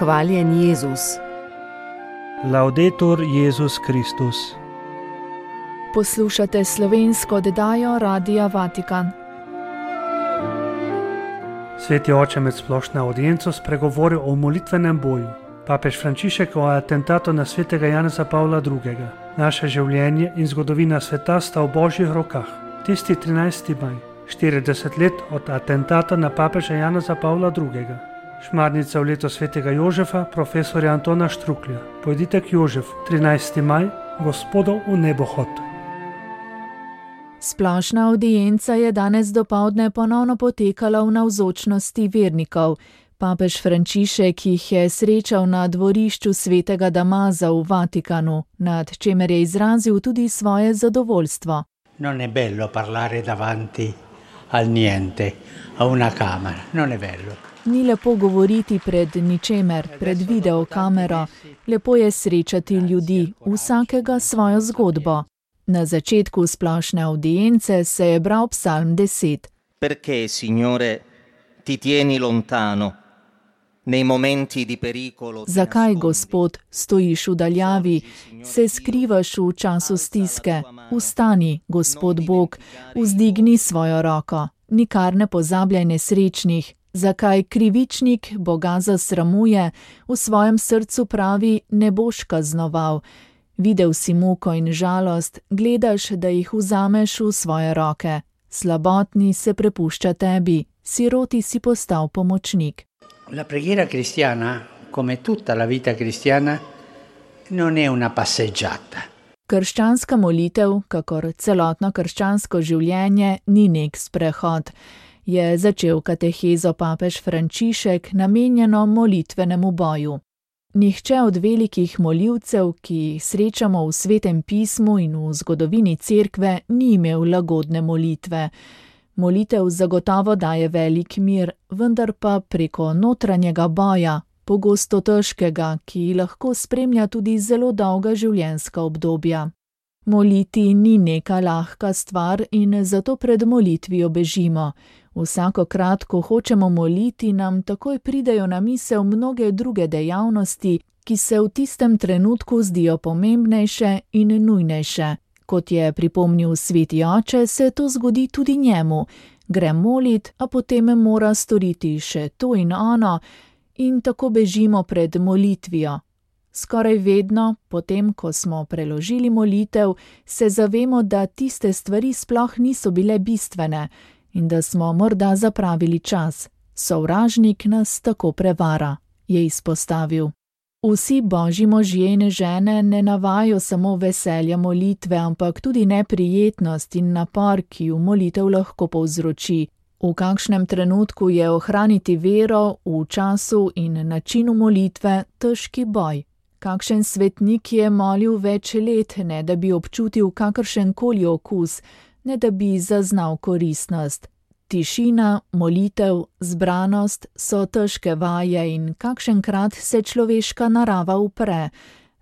Hvaljen Jezus. Laudetur Jezus Kristus. Poslušate slovensko oddajo Radia Vatikan. Sveti oče med splošno audienco spregovoril o molitvenem boju. Papež Frančišek o atentatu na svetega Janeza Pavla II. Naše življenje in zgodovina sveta sta v Božjih rokah. Tisti 13. maj, 40 let od atentata na papeža Janeza Pavla II. Šmarnica v leto svetega Jožefa, profesorja Antona Štruklja. Pojdite k Jožefu, 13. maj, Gospodov v nebohod. Splošna avdienca je danes dopoldne ponovno potekala v navzočnosti vernikov. Papež Frančišek jih je srečal na dvorišču svetega Damaza v Vatikanu, nad čemer je izrazil tudi svoje zadovoljstvo. Non è bello parlare davanti al niente, a una camera, non è bello. Ni lepo govoriti pred ničemer, pred videokamero. Lepo je srečati ljudi, vsakega svojo zgodbo. Na začetku splošne avdience se je bral psalm 10. Perché, Signore, ti tieni lontano? Nei momenti di pericolo. Zakaj, Gospod, stojiš v daljavi, se skrivaš v času stiske? Vstani, Gospod Bog, vzdigni svojo roko. Nikar ne pozabljaj nesrečnih. Zakaj krivičnik Boga zasramuje, v svojem srcu pravi, ne boš kaznoval. Videl si muko in žalost, gledaš, da jih vzameš v svoje roke. Slabotni se prepušča tebi, siroti si postal pomočnik. La preghiera cristiana, come tutta la vita cristiana, non è una passeggiata. Krščanska molitev, kakor celotno krščansko življenje, ni nek sprehod. Je začel katehezo papež Frančišek namenjeno molitvenemu boju. Nihče od velikih molivcev, ki jih srečamo v Svetem pismu in v zgodovini cerkve, ni imel lagodne molitve. Molitev zagotovo daje velik mir, vendar pa preko notranjega boja, pogosto težkega, ki lahko spremlja tudi zelo dolga življenjska obdobja. Moliti ni neka lahka stvar in zato pred molitvijo bežimo. Vsakokrat, ko hočemo moliti, nam takoj pridejo na misel mnoge druge dejavnosti, ki se v tistem trenutku zdijo pomembnejše in nujnejše. Kot je pripomnil sveti oče, se to zgodi tudi njemu. Gre molit, a potem mora storiti še to in ono, in tako bežimo pred molitvijo. Skoraj vedno, potem ko smo preložili molitev, se zavemo, da tiste stvari sploh niso bile bistvene in da smo morda zapravili čas. Sovražnik nas tako prevara, je izpostavil. Vsi božji možje in žene ne navajajo samo veselja molitve, ampak tudi neprijetnost in napor, ki v molitev lahko povzroči. V kakšnem trenutku je ohraniti vero v času in načinu molitve težki boj. Kakšen svetnik je molil več let, ne da bi občutil kakršenkoli okus, ne da bi zaznal koristnost. Tišina, molitev, zbranost so težke vaje in kakšenkrat se človeška narava upre.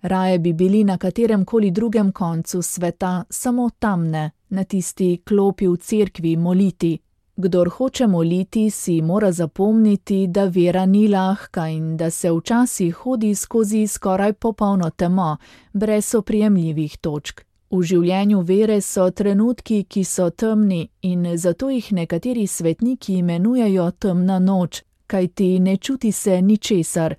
Raje bi bili na kateremkoli drugem koncu sveta, samo tam ne, na tisti klopi v cerkvi moliti. Kdor hoče moliti, si mora zapomniti, da vera ni lahka in da se včasih hodi skozi skoraj popolno temo, brez oprijemljivih točk. V življenju vere so trenutki, ki so temni in zato jih nekateri svetniki imenujejo temna noč, kajti ne čuti se ničesar,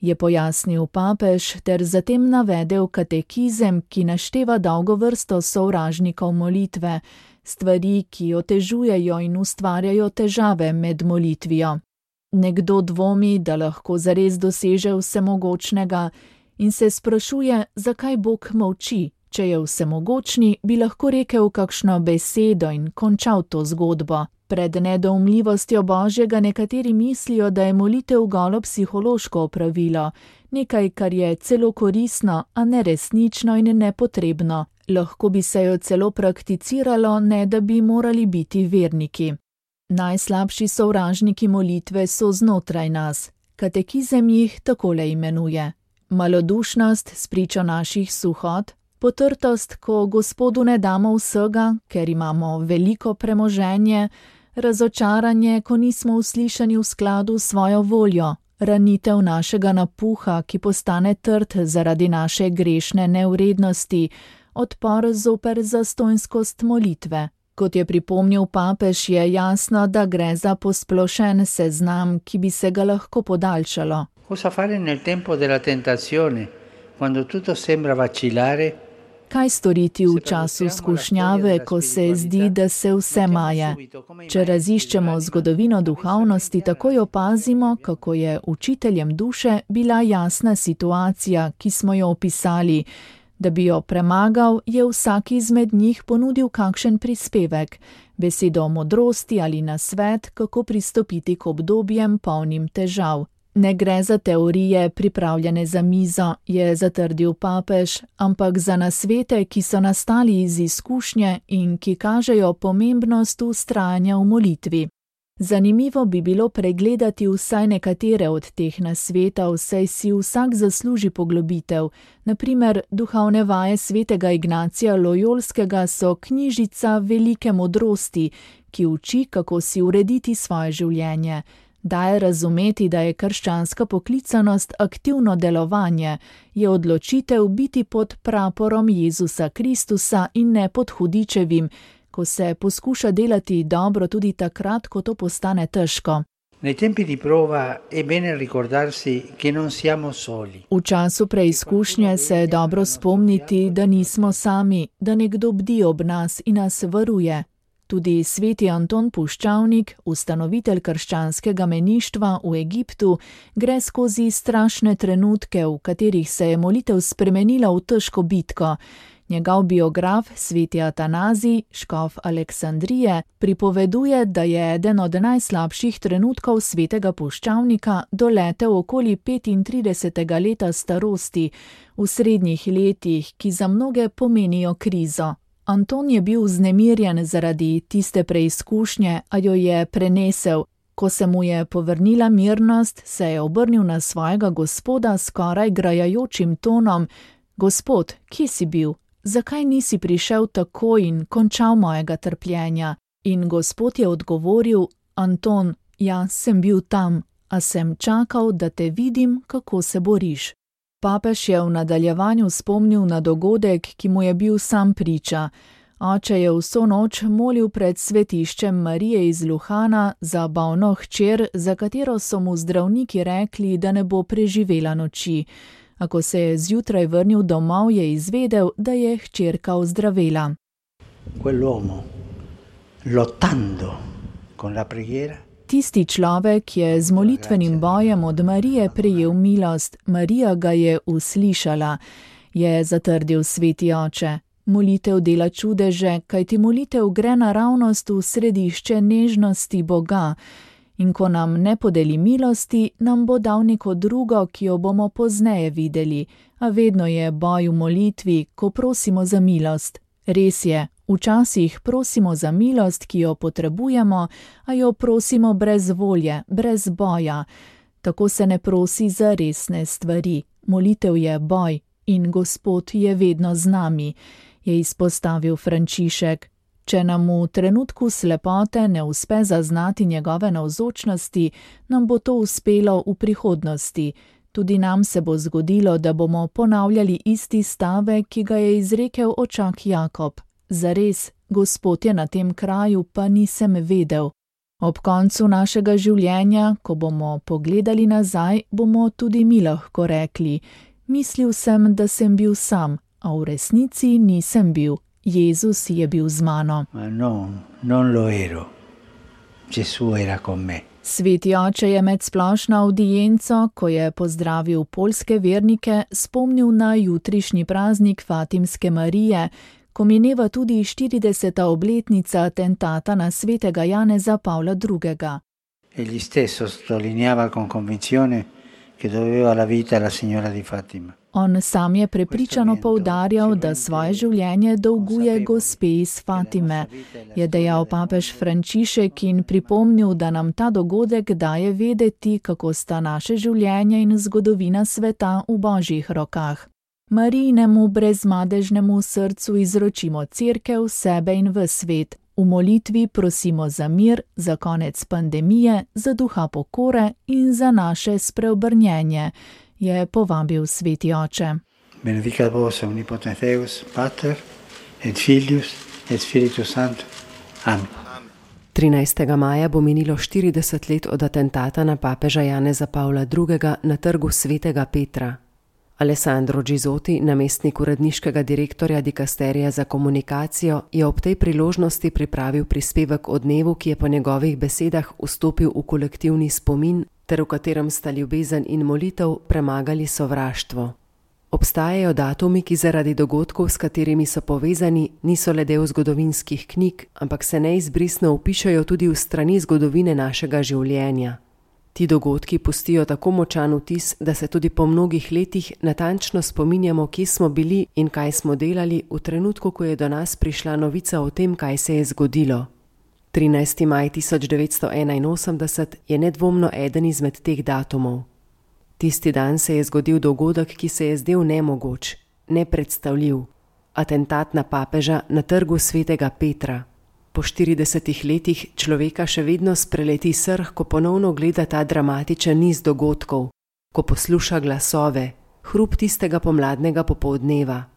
je pojasnil papež ter zatem navedel katekizem, ki našteva dolgo vrsto sovražnikov molitve, stvari, ki otežujejo in ustvarjajo težave med molitvijo. Nekdo dvomi, da lahko zares doseže vsemogočnega in se sprašuje, zakaj Bog molči. Če je vsemogočni, bi lahko rekel kakšno besedo in končal to zgodbo. Pred nedoumljivostjo Božjega nekateri mislijo, da je molitev golo psihološko opravilo, nekaj, kar je celo koristno, a neresnično in nepotrebno. Lahko bi se jo celo prakticiralo, ne da bi morali biti verniki. Najslabši sovražniki molitve so znotraj nas. Katekizem jih takole imenuje. Malodušnost spričo naših suhot, potrtost, ko Gospodu ne damo vsega, ker imamo veliko premoženje, razočaranje, ko nismo uslišani v skladu s svojo voljo, ranitev našega napuha, ki postane trd zaradi naše grešne nevrednosti, odpor zoper zastonjskost molitve. Kot je pripomnil papež, je jasno, da gre za posplošen seznam, ki bi se ga lahko podaljšalo. Cosa fare nel tempo della tentazione, quando tutto sembra vacillare? Kaj storiti v času skušnjave, ko se zdi, da se vse maje? Če raziščemo zgodovino duhovnosti, takoj opazimo, kako je učiteljem duše bila jasna situacija, ki smo jo opisali. Da bi jo premagal, je vsak izmed njih ponudil kakšen prispevek, besedo modrosti ali nasvet, kako pristopiti k obdobjem polnim težav. Ne gre za teorije, pripravljene za mizo, je zatrdil papež, ampak za nasvete, ki so nastali iz izkušnje in ki kažejo pomembnost vztrajanja v molitvi. Zanimivo bi bilo pregledati vsaj nekatere od teh nasvetov, saj si vsak zasluži poglobitev. Na primer, duhovne vaje svetega Ignacija Lojolskega so knjižica velike modrosti, ki uči, kako si urediti svoje življenje. Daje razumeti, da je krščanska poklicanost aktivno delovanje, je odločitev biti pod praporom Jezusa Kristusa in ne pod hudičevim, ko se poskuša delati dobro tudi takrat, ko to postane težko. Nei tempi di prova è bene ricordarsi che non siamo soli. V času preizkušnje se je dobro spomniti, da nismo sami, da nekdo bdi ob nas in nas varuje. Tudi sveti Anton Puščavnik, ustanovitelj krščanskega meništva v Egiptu, gre skozi strašne trenutke, v katerih se je molitev spremenila v težko bitko. Njegov biograf, sveti Atanazij, škof Aleksandrije, pripoveduje, da je eden od najslabših trenutkov svetega Puščavnika doletel okoli 35. leta starosti, v srednjih letih, ki za mnoge pomenijo krizo. Anton je bil vznemirjen zaradi tiste preizkušnje, a jo je prenesel. Ko se mu je povrnila mirnost, se je obrnil na svojega Gospoda skoraj grajajočim tonom: Gospod, kje si bil? Zakaj nisi prišel takoj in končal mojega trpljenja? In Gospod je odgovoril: Anton, jaz sem bil tam, a sem čakal, da te vidim, kako se boriš. Papež je v nadaljevanju spomnil na dogodek, ki mu je bil sam priča. Oče je vso noč molil pred svetiščem Marije iz Luhana za bolno hčer, za katero so mu zdravniki rekli, da ne bo preživela noči. A ko se je zjutraj vrnil domov, je izvedel, da je hčerka ozdravela. Quell'uomo, lottando con la preghiera, Tisti človek je z molitvenim bojem od Marije prejel milost, Marija ga je uslišala, je zatrdil sveti oče. Molitev dela čudeže, kajti molitev gre naravnost v središče nežnosti Boga. In ko nam ne podeli milosti, nam bo dal neko drugo, ki jo bomo pozneje videli. A vedno je boj v molitvi, ko prosimo za milost. Res je, včasih prosimo za milost, ki jo potrebujemo, a jo prosimo brez volje, brez boja. Tako se ne prosi za resne stvari. Molitev je boj in Gospod je vedno z nami, je izpostavil Frančišek. Če nam v trenutku slepote ne uspe zaznati njegove navzočnosti, nam bo to uspelo v prihodnosti. Tudi nam se bo zgodilo, da bomo ponavljali isti stavek, ki ga je izrekel očak Jakob. Zares, Gospod je na tem kraju, pa nisem vedel. Ob koncu našega življenja, ko bomo pogledali nazaj, bomo tudi mi lahko rekli: mislil sem, da sem bil sam, a v resnici nisem bil. Jezus je bil z mano. Ma non lo ero. Gesù era con me. Sveti oče je med splošno avdienco, ko je pozdravil poljske vernike, spomnil na jutrišnji praznik Fatimske Marije, ko mineva tudi 40. obletnica atentata na svetega Janeza Pavla II. Egli stesso sottolineava con convinzione che doveva la vita alla signora di Fatima. On sam je prepričano poudarjal, da svoje življenje dolguje gospe iz Fatime, je dejal papež Frančišek in pripomnil, da nam ta dogodek daje vedeti, kako sta naše življenje in zgodovina sveta v Božjih rokah. Marijinemu brezmadežnemu srcu izročimo Cerkev, sebe in ves svet. V molitvi prosimo za mir, za konec pandemije, za duha pokore in za naše spreobrnjenje, je povabil sveti oče. Benedicat vos omnipotens Deus, Pater, et Filius, et Spiritus Sanctus. Amen. 13. maja bo minilo 40 let od atentata na papeža Janeza Pavla II. Na trgu svetega Petra. Alessandro Gizotti, namestnik uredniškega direktorja dikasterija za komunikacijo, je ob tej priložnosti pripravil prispevek o dnevu, ki je po njegovih besedah vstopil v kolektivni spomin, ter v katerem sta ljubezen in molitev premagali sovraštvo. Obstajajo datumi, ki zaradi dogodkov, s katerimi so povezani, niso le del zgodovinskih knjig, ampak se neizbrisno vpišajo tudi v strani zgodovine našega življenja. Ti dogodki pustijo tako močan vtis, da se tudi po mnogih letih natančno spominjamo, kje smo bili in kaj smo delali v trenutku, ko je do nas prišla novica o tem, kaj se je zgodilo. 13. maj 1981 je nedvomno eden izmed teh datumov. Tisti dan se je zgodil dogodek, ki se je zdel nemogoč, nepredstavljiv. Atentat na papeža na trgu svetega Petra. Po 40 letih človeka še vedno spreleti srh, ko ponovno gleda ta dramatičen niz dogodkov, ko posluša glasove, hrup tistega pomladnega popoldneva.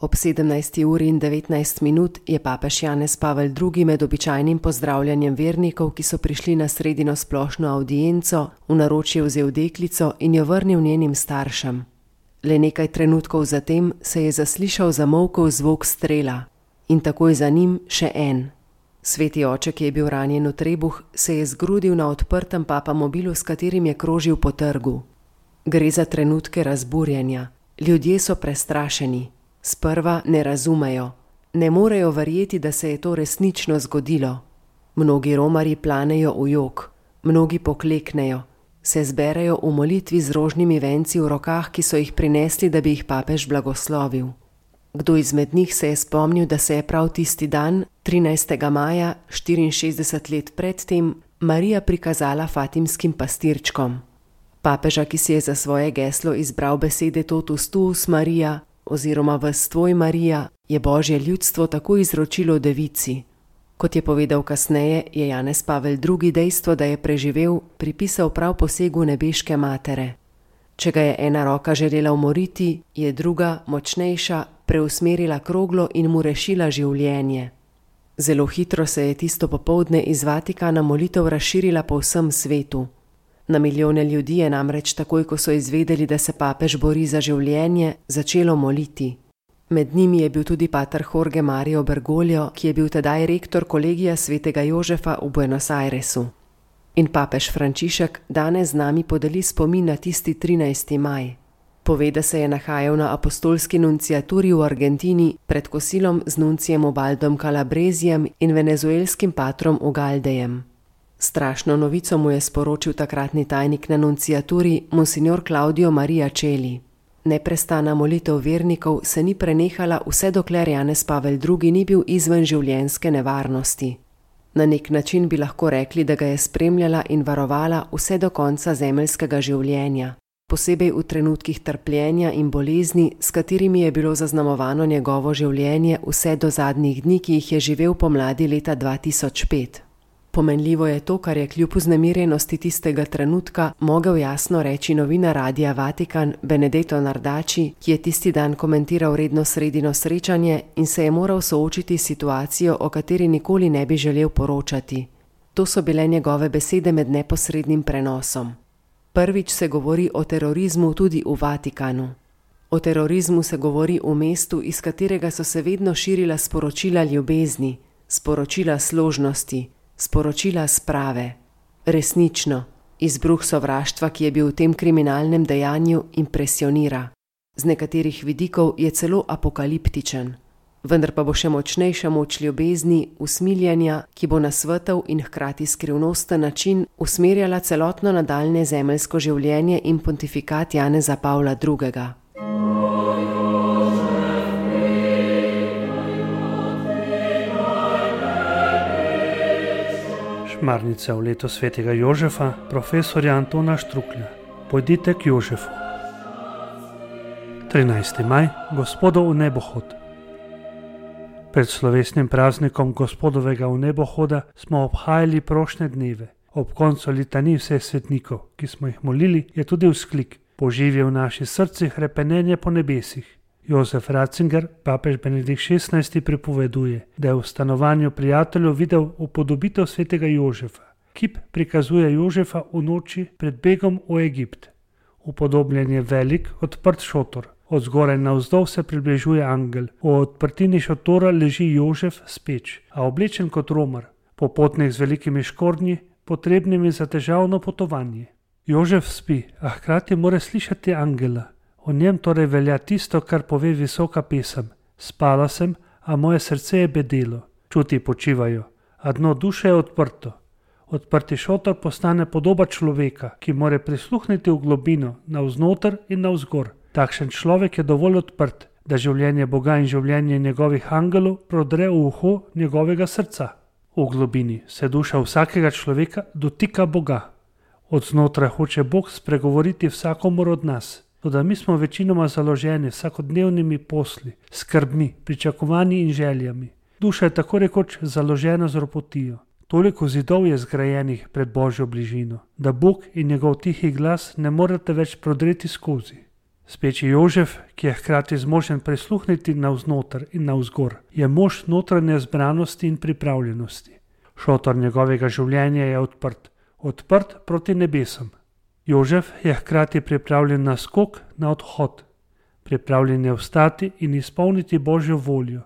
Ob 17:19 je papež Janez Pavel II. Med običajnim pozdravljanjem vernikov, ki so prišli na sredino splošno avdienco, v naročje vzel deklico in jo vrnil njenim staršem. Le nekaj trenutkov zatem se je zaslišal zamolkel zvok strela in takoj za njim še en. Sveti oče, ki je bil ranjen v trebuh, se je zgrudil na odprtem papamobilu, s katerim je krožil po trgu. Gre za trenutke razburjenja. Ljudje so prestrašeni. Sprva ne razumejo. Ne morejo verjeti, da se je to resnično zgodilo. Mnogi romarji planejo v jok. Mnogi pokleknejo. Se zberejo v molitvi z rožnimi venci v rokah, ki so jih prinesli, da bi jih papež blagoslovil. Kdo izmed njih se je spomnil, da se je prav tisti dan, 13. maja, 64 let predtem, Marija prikazala fatimskim pastirčkom. Papeža, ki si je za svoje geslo izbral besede Totus tuus Maria oziroma Ves tvoj Marija, je Božje ljudstvo tako izročilo devici. Kot je povedal kasneje, je Janez Pavel II. Dejstvo, da je preživel, pripisal prav posegu nebeške matere. Če ga je ena roka želela umoriti, je druga, močnejša, preusmerila kroglo in mu rešila življenje. Zelo hitro se je tisto popoldne iz Vatikana molitev razširila po vsem svetu. Na milijone ljudi je namreč takoj, ko so izvedeli, da se papež bori za življenje, začelo moliti. Med njimi je bil tudi pater Jorge Mario Bergoglio, ki je bil tedaj rektor kolegija svetega Jožefa v Buenos Airesu. In papež Frančišek danes z nami podeli spomin na tisti 13. maj. Pove, da se je nahajal na apostolski nunciaturi v Argentini pred kosilom z nuncijem Ubaldom Calabrezijem in venezuelskim patrom Ugaldejem. Strašno novico mu je sporočil takratni tajnik na nunciaturi, monsignor Claudio Maria Celli. Neprestana molitev vernikov se ni prenehala vse dokler Janez Pavel II. Ni bil izven življenjske nevarnosti. Na nek način bi lahko rekli, da ga je spremljala in varovala vse do konca zemeljskega življenja, posebej v trenutkih trpljenja in bolezni, s katerimi je bilo zaznamovano njegovo življenje vse do zadnjih dni, ki jih je živel pomladi leta 2005. Pomenljivo je to, kar je kljub vznemirjenosti tistega trenutka mogel jasno reči novinar Radia Vatikan Benedetto Nardaci, ki je tisti dan komentiral redno sredino srečanje in se je moral soočiti s situacijo, o kateri nikoli ne bi želel poročati. To so bile njegove besede med neposrednim prenosom. Prvič se govori o terorizmu tudi v Vatikanu. O terorizmu se govori v mestu, iz katerega so se vedno širila sporočila ljubezni, sporočila složnosti, sporočila sprave. Resnično, izbruh sovraštva, ki je bil v tem kriminalnem dejanju, impresionira. Z nekaterih vidikov je celo apokaliptičen. Vendar pa bo še močnejša moč ljubezni, usmiljenja, ki bo na svetel in hkrati skrivnosten način usmerjala celotno nadaljne zemeljsko življenje in pontifikat Janeza Pavla II. Šmarnica v leto svetega Jožefa, profesorja Antona Štruklja. Pojdite k Jožefu. 13. maj, Gospodov v nebohod. Pred slovesnim praznikom Gospodovega vnebohoda smo obhajali prošnje dneve. Ob koncu litanij vseh svetnikov, ki smo jih molili, je tudi vzklik: poživi v naših srcih hrepenenje po nebesih. Josef Ratzinger, papež Benedikt XVI, pripoveduje, da je v stanovanju prijateljev videl upodobitev svetega Jožefa. Kip prikazuje Jožefa v noči pred begom v Egipt. Upodobljen je velik, odprt šotor. Od zgoraj navzdol se približuje angel. V odprtini šotora leži Jožef speč, a oblečen kot romar, popotnik z velikimi škornji, potrebnimi za težavno potovanje. Jožef spi, a hkrati mora slišati angela. O njem torej velja tisto, kar pove visoka pesem: spala sem, a moje srce je bedelo. Čuti počivajo, a dno duše je odprto. Odprti šotor postane podoba človeka, ki mora prisluhniti v globino, navznoter in navzgor. Takšen človek je dovolj odprt, da življenje Boga in življenje njegovih angelov prodre v uho njegovega srca. V globini se duša vsakega človeka dotika Boga. Od znotraj hoče Bog spregovoriti vsakomur od nas. Toda mi smo večinoma založeni vsakodnevnimi posli, skrbmi, pričakovanji in željami. Duša je tako rekoč založena z ropotijo. Toliko zidov je zgrajenih pred Božjo bližino, da Bog in njegov tihi glas ne morete več prodreti skozi. Speči Jožef, ki je hkrati zmožen prisluhniti navznoter in navzgor, je mož notranje zbranosti in pripravljenosti. Šotor njegovega življenja je odprt proti nebesom. Jožef je hkrati pripravljen na skok, na odhod. Pripravljen je vstati in izpolniti Božjo voljo.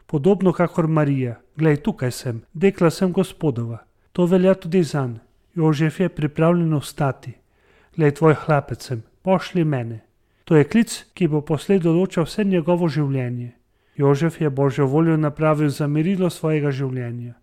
Podobno kakor Marija: glej, tukaj sem, dekla sem Gospodova. To velja tudi zanj. Jožef je pripravljen vstati. Glej, tvoj hlapec sem, pošlji mene. To je klic, ki bo poslej določal vse njegovo življenje. Jožef je Božjo voljo napravil za merilo svojega življenja.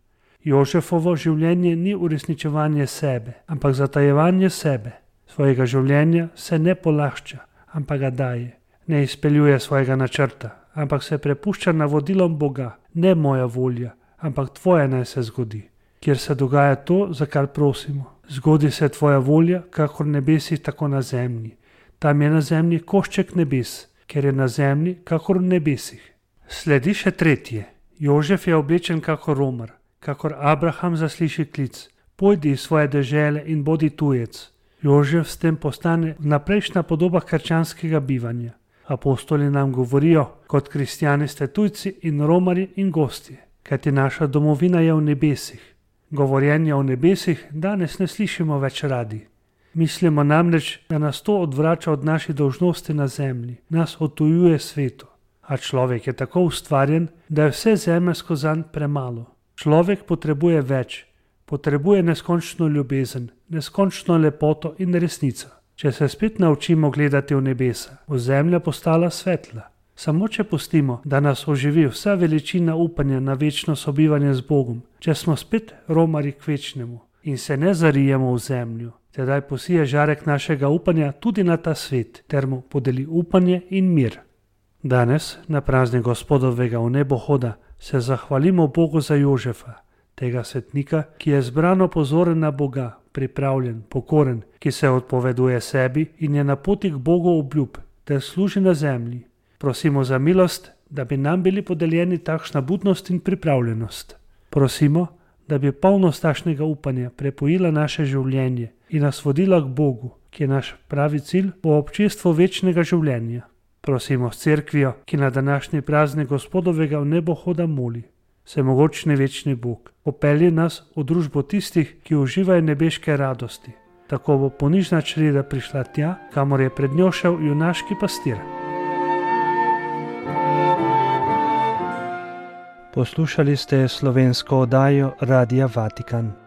Jožefovo življenje ni uresničevanje sebe, ampak zatajevanje sebe. Svojega življenja se ne polašča, ampak ga daje. Ne izpeljuje svojega načrta, ampak se prepušča navodilom Boga. Ne moja volja, ampak tvoja naj se zgodi. Kjer se dogaja to, za kar prosimo. Zgodi se tvoja volja, kakor nebesi, tako na zemlji. Tam je na zemlji košček nebes, ker je na zemlji, kakor v nebesih. Sledi še tretje. Jožef je oblečen kakor romar, kakor Abraham zasliši klic: pojdi iz svoje dežele in bodi tujec. Jožef s tem postane vnaprejšnja podoba krščanskega bivanja. Apostoli nam govorijo: kot kristjani ste tujci in romari in gostje, kajti naša domovina je v nebesih. Govorjenja o nebesih danes ne slišimo več radi. Mislimo namreč, da nas to odvrača od naših dolžnosti na zemlji, nas odtujuje svetu. A človek je tako ustvarjen, da je vse zemeljsko zanj premalo. Človek potrebuje več, potrebuje neskončno ljubezen, neskončno lepoto in resnico. Če se spet naučimo gledati v nebesa, bo zemlja postala svetla. Samo če pustimo, da nas oživi vsa veličina upanja na večno sobivanje z Bogom, če smo spet romari k večnemu in se ne zarijemo v zemljo, tedaj posije žarek našega upanja tudi na ta svet, ter mu podeli upanje in mir. Danes, na praznik Gospodovega vnebohoda, se zahvalimo Bogu za Jožefa, tega svetnika, ki je zbrano pozoren na Boga, pripravljen, pokoren, ki se odpoveduje sebi in je na poti k Bogu obljub, ter služi na zemlji. Prosimo za milost, da bi nam bili podeljeni takšna budnost in pripravljenost. Prosimo, da bi polnost takšnega upanja prepojila naše življenje in nas vodila k Bogu, ki je naš pravi cilj v občestvu večnega življenja. Prosimo s cerkvijo, ki na današnji praznik Gospodovega vnebohoda moli: Vsemogočni večni Bog, popelji nas v družbo tistih, ki uživajo nebeške radosti. Tako bo ponižna čreda prišla tja, kamor je pred njo šel junaški pastir. Poslušali ste slovensko oddajo Radia Vatikan.